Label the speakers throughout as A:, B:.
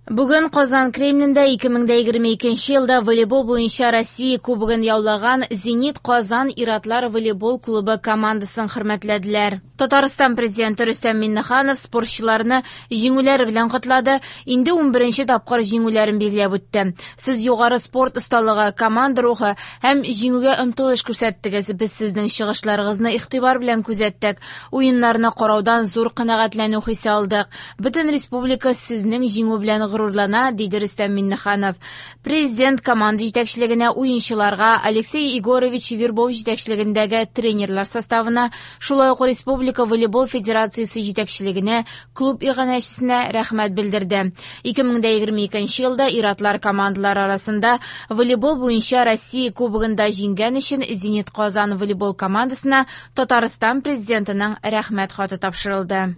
A: Бүген Казан Кремлендә 2022 елда волейбол буенча Россия Кубогын яулаган «Зенит Казан» ир-атлар волейбол клубы командасын хөрмәтләделәр. Татарстан Президенты Рөстәм Миңнеханов спортчыларны җиңүләре белән котлады, инде 11нче тапкыр җиңүләрен билгеләп үтте. Сез югары спорт осталыгы, команда рухы һәм җиңүгә омтылыш күрсәттегез. Без сезнең чыгышларыгызны игътибар белән күзәттек. Уеннарны караудан зур канәгатьләнү хисе алдык. Бөтен республика сезнең җиңү белән горурлана, диде Рөстәм Миңнеханов. Президент команда җитәкчелегенә, уенчыларга, Алексей Егорович Вербов җитәкчелегендәге тренерлар составына, шулай ук Республика волейбол федерациясе җитәкчелегенә, клуб иганәчесенә рәхмәт белдерде. 2022 елда ир-атлар командалары арасында волейбол буенча Россия Кубогында җиңгән өчен «Зенит Казан» волейбол командасына Татарстан Президентының Рәхмәт хаты тапшырылды.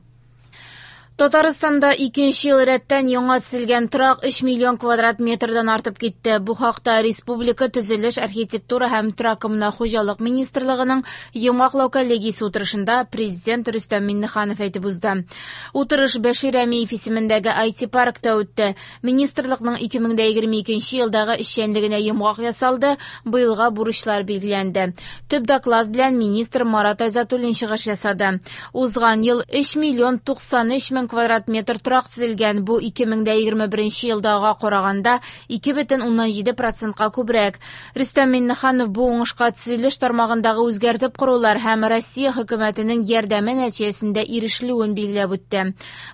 A: Татарстанда икенче ел рәттән яңа төзелгән торак 3 миллион квадрат метрдан артып китте. Бу хакта Республика төзелеш, архитектура һәм торак-коммуналь хуҗалык министрлыгының йомгаклау коллегиясе утырышында Президент Рөстәм Миңнеханов әйтеп узды. Утырыш Бәшир Рәмиев исемендәге IT-паркта үтте. Министрлыкның 2022 елдагы эшчәнлегенә йомгак ясалды, быелга бурычлар билгеләнде. Төп доклад белән министр Марат Айзатуллин чыгыш ясады. Узган ел 3 миллион 93 мең квадрат метр торак төзелгән. Бу 2021 елдагыга караганда 2,7 процентка күбрәк. Рөстәм Миңнеханов бу уңышка төзелеш тармагындагы үзгәртеп корулар һәм Россия хөкүмәтенең ярдәме нәтиҗәсендә ирешелүен билгеләп үтте.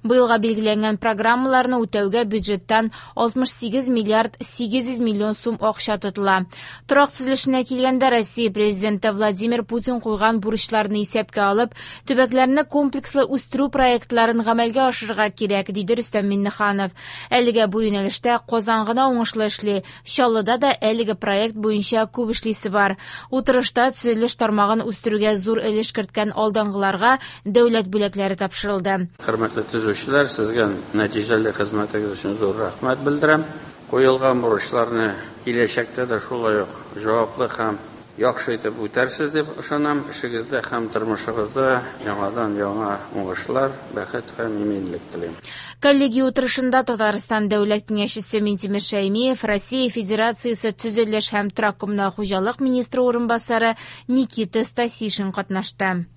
A: Быелга билгеләнгән программаларны үтәүгә бюджеттан 68 миллиард 800 миллион сум акча тотыла. Торак төзелешенә килгәндә, Россия Президенты Владимир Путин куйган бурычларны исәпкә алып, төбәкләрне комплекслы үстерү проектларын гамәлгә ашырырга кирәк, диде Рөстәм Миңнеханов. Әлегә бу юнәлештә Казан гына уңышлы эшли. Чаллыда да әлеге проект буенча күп эшлисе бар. Утырышта төзелеш тармагын үстерүгә зур өлеш керткән алдынгыларга дәүләт бүләкләре тапшырылды.
B: Хөрмәтле төзүчеләр, сезгә нәтиҗәле хезмәтегез өчен зур рәхмәт белдерәм. Куелган бурычларны киләчәктә дә шулай ук җаваплы һәм яхшы итеп үтәрсез дип ышанам. Эшегездә һәм тормышыгызда яңадан-яңа уңышлар, бәхет һәм иминлек телим.
A: Коллегия утырышында Татарстан Дәүләт Киңәшчесе Минтимер Шәймиев, Россия Федерациясе төзелеш һәм торак-коммуналь хуҗалык министры урынбасары Никита Стасишин катнашты.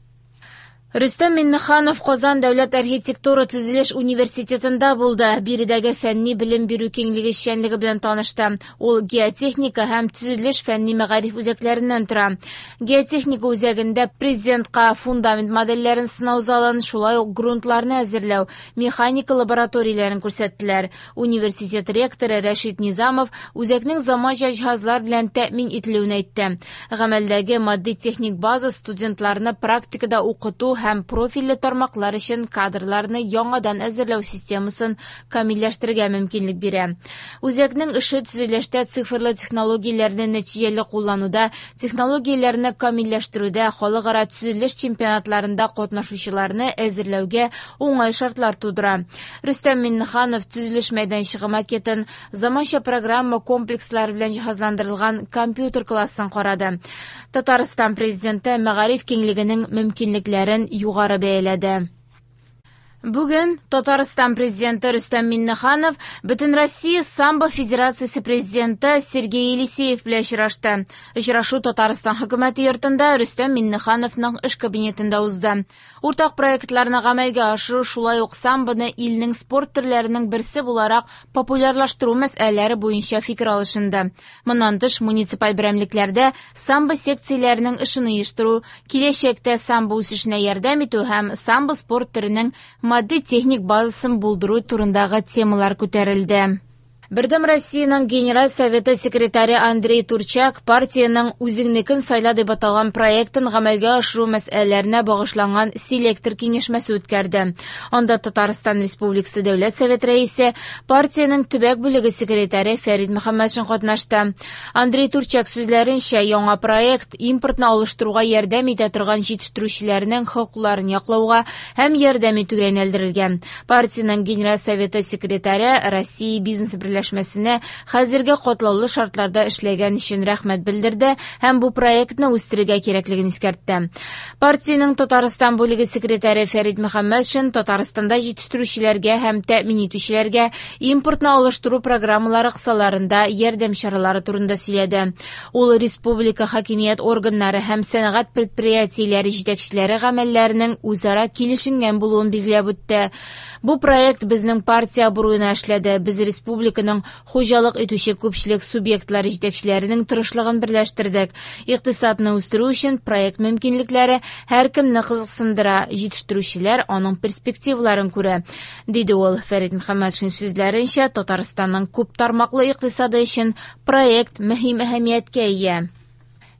A: Рөстәм Миңнеханов Казан дәүләт архитектура төзелеш университетында булды. Биредәге фәнни белем бирү киңлеге эшчәнлеге белән танышты. Ул геотехника һәм төзелеш фәнни мәгариф үзәкләреннән тора. Геотехника үзәгендә президентка фундамент модельләрен сынау залын, шулай ук грунтларны әзерләү, механика лабораторияләрен күрсәттеләр. Университет ректоры Рәшит Низамов үзәкнең заманча җиһазлар белән тәэмин ителүен әйтте. Гамәлдәге матди-техник база студентларны практикада укыту һәм профильле тармаклар өчен кадрларны яңадан әзерләү системасын камилләштерергә мөмкинлек бирә. Үзәкнең эше төзелештә цифрлы технологияләрне нәтиҗәле куллануда, технологияләрне камилләштерүдә, халыкара төзелеш чемпионатларында катнашучыларны әзерләүгә уңай шартлар тудыра. Рөстәм Миңнеханов төзелеш мәйданчыгы макетын, заманча программа комплекслары белән җиһазландырылган компьютер классын карады. Татарстан Президенты мәгариф киңлегенең мөмкинлекләрен югары бәяләде. Бүген Татарстан Президенты Рөстәм Миңнеханов Бөтенроссия самбо федерациясе президенты Сергей Елисеев белән очрашты. Очрашу Татарстан хөкүмәте йортында Рөстәм Миңнехановның эш кабинетында узды. Уртак проектларны гамәлгә ашыру, шулай ук самбоны илнең спорт төрләренең берсе буларак популярлаштыру мәсьәләләре буенча фикер алышынды. Моннан тыш, муниципаль берәмлекләрдә самбо секцияләренең эшен оештыру, киләчәктә самбо үсешенә ярдәм итү һәм самбо спорт төренең матди-техник базасын булдыру турындагы темалар күтәрелде. Бердәм Россиянең Генераль Советы секретаре Андрей Турчак партиянең Үзеңнекен сайла дип аталган проектын гамәлгә ашыру мәсьәләләренә багышланган селектор киңәшмәсе үткәрде. Анда Татарстан Республикасы Дәүләт Советы рәисе, партиянең төбәк бүлеге секретаре Фәрит Мөхәммәтшин катнашты. Андрей Турчак сүзләренчә, яңа проект импортны алыштыруга ярдәм итә торган җитештерүчеләрнең хокукларын яклауга һәм ярдәм итүгә юнәлдерелгән. Партиянең Генераль Советы секретаре Россия бизнес берләшмәсе берләшмәсенә хәзерге катлаулы шартларда эшләгән өчен рәхмәт белдерде һәм бу проектны үстерергә кирәклеген искәртте. Партиянең Татарстан бүлеге секретаре Фәрид Мөхәммәтшин Татарстанда җитештерүчеләргә һәм тәэмин итүчеләргә импортны алыштыру программалары кысаларында ярдәм чаралары турында сөйләде. Ул республика хакимият органнары һәм сәнәгать предприятиеләре җитәкчеләре гамәлләренең үзара килешенгән булуын билгеләп үтте. Бу проект безнең партия абруена эшләде. Без республиканың хуҗалык итүче күпчелек субъектлары җитәкчеләренең тырышлыгын берләштердек. Икътисадны үстерү өчен проект мөмкинлекләре һәркемне кызыксындыра, җитештерүчеләр аның перспективаларын күрә, диде ул. Фәрит Мөхәммәтшин сүзләренчә, Татарстанның күп тармаклы икътисады өчен проект мөһим әһәмияткә ия.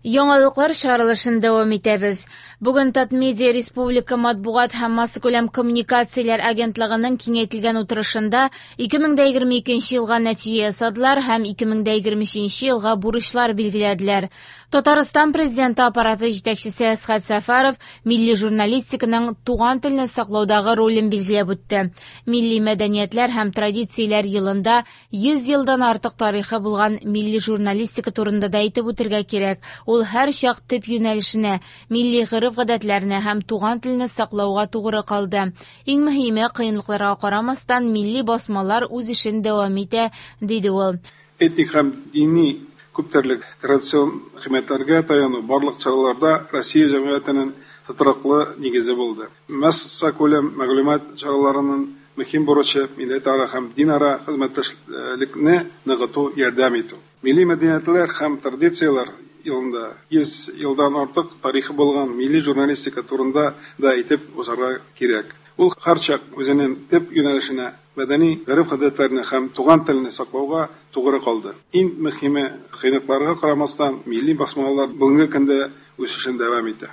A: Яңалыклар чыгарылышын дәвам итәбез. Бүген Татмедиа республика матбугат һәм массакүләм коммуникацияләр агентлыгының киңәйтелгән утырышында 2022 елга нәтиҗә ясадылар һәм 2023 елга бурычлар билгеләделәр. Татарстан президенты аппараты җитәкчесе Әсхәт Сәфәров милли журналистиканың туган телне саклаудагы ролен билгеләп үтте. Милли мәдәниятләр һәм традицияләр елында 100 елдан артык тарихы булган милли журналистика турында да әйтеп үтергә кирәк. Ул һәр чак төп юнәлешенә, милли гореф-гадәтләренә һәм туган телне саклауга тугры калды. Иң мөһиме, кыенлыкларга карамастан, милли басмалар үз эшен дәвам итә, диде ул.
C: Этник һәм дини күптөрле традицион кыйммәтләргә таяну барлык чараларда Россия җәмгыятенең тотрыклы нигезе булды. Массакүләм мәгълүмат чараларының мөһим бурычы милләтара һәм динара хезмәттәшлекне ныгыту ярдәм итү. Милли мәдәниятләр һәм традицияләр елында 100 елдан артык тарихы булган милли журналистика турында да әйтеп узарга кирәк. Ул һәрчак үзенең төп юнәлешенә, мәдәни гореф-гадәтләрне һәм туган телне саклауга тугры калды. Иң мөһиме, кыенлыкларга карамастан, милли басмалар бүгенге көндә үсешен дәвам итә.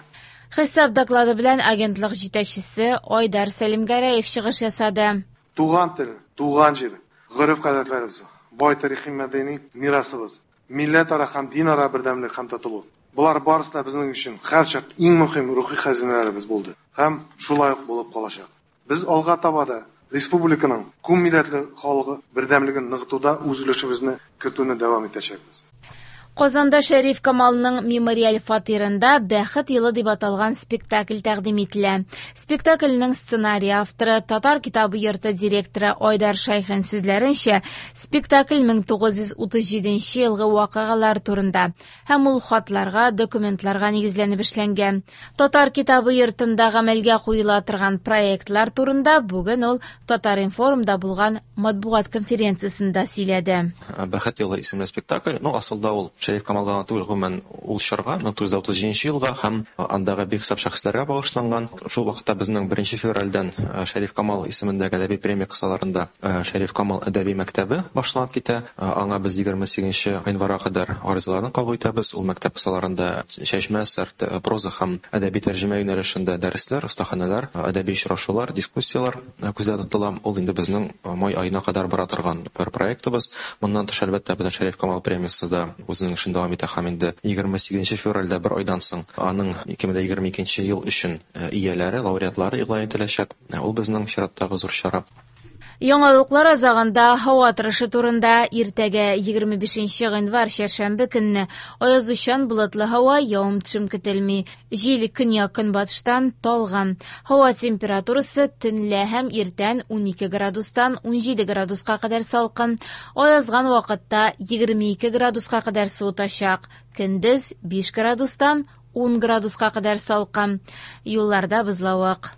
A: Хисап доклады белән агентлык җитәкчесе Айдар Сәлимгәрәев чыгыш ясады.
D: Туган тел, туган җир, гореф-гадәтләребез, бай тарихи мәдәни мирасыбыз, милләтара һәм динара бердәмлек һәм татулык. Болар барысы да безнең өчен һәрчак иң мөһим рухи хәзинәләребез булды һәм шулай ук булып калачак. Без алга таба да республиканың күп милләтле халкы бердәмлеген ныгытуда үз өлешебезне кертүне дәвам итәчәкбез.
A: Казанда Шәриф Камалның мемориаль фатирында «Бәхет елы» дип аталган спектакль тәкъдим ителә. Спектакльнең сценарий авторы, Татар китабы йорты директоры Айдар Шәйхин сүзләренчә, спектакль 1937 елгы вакыйгалар турында һәм ул хатларга, документларга нигезләнеп эшләнгән. Татар китабы йортында гамәлгә куела торган проектлар турында бүген ул Татар-информда булган матбугат конференциясендә сөйләде.
E: «Бәхет елы» исемле спектакль, ну, асылда ул Шәриф Камалга түгел, гомумән ул чорга, 1937 елга һәм андагы бихисап шәхесләргә багышланган. Шул вакытта безнең 1 февральдән Шәриф Камал исемендәге әдәби премия кысаларында Шәриф Камал әдәби мәктәбе башланып китә. Аңа без 28 гыйнварга кадәр гаризаларны кабул итәбез. Ул мәктәп кысаларында чәчмә әсәр, проза һәм әдәби тәрҗемә юнәлешендә дәресләр, остаханәләр, әдәби очрашулар, дискуссияләр күздә тотыла. Ул инде безнең май аена кадәр бара торган бер проектыбыз. Моннан тыш, әлбәттә, безнең Шәриф Камал премиясе дә үзенең эшен дәвам итә һәм инде 28 февральдә бер айдан соң аның 2022 ел өчен ияләре, лауреатлары игълан ителәчәк. Ул безнең чираттагы зур чара.
A: Яңалыклар азагында һава торышы турында. Иртәгә 25 гыйнвар чәршәмбе көнне аязучан болытлы һава, явым-төшем көтелми. Җил көньяк-көнбатыштан талгын. Һава температурасы төнлә һәм иртән 12 градустан 17 градуска кадәр салкын. Аязган вакытта 22 градуска кадәр суытачак. Көндез 5 градустан 10 градуска кадәр салкын. Юлларда бозлавык.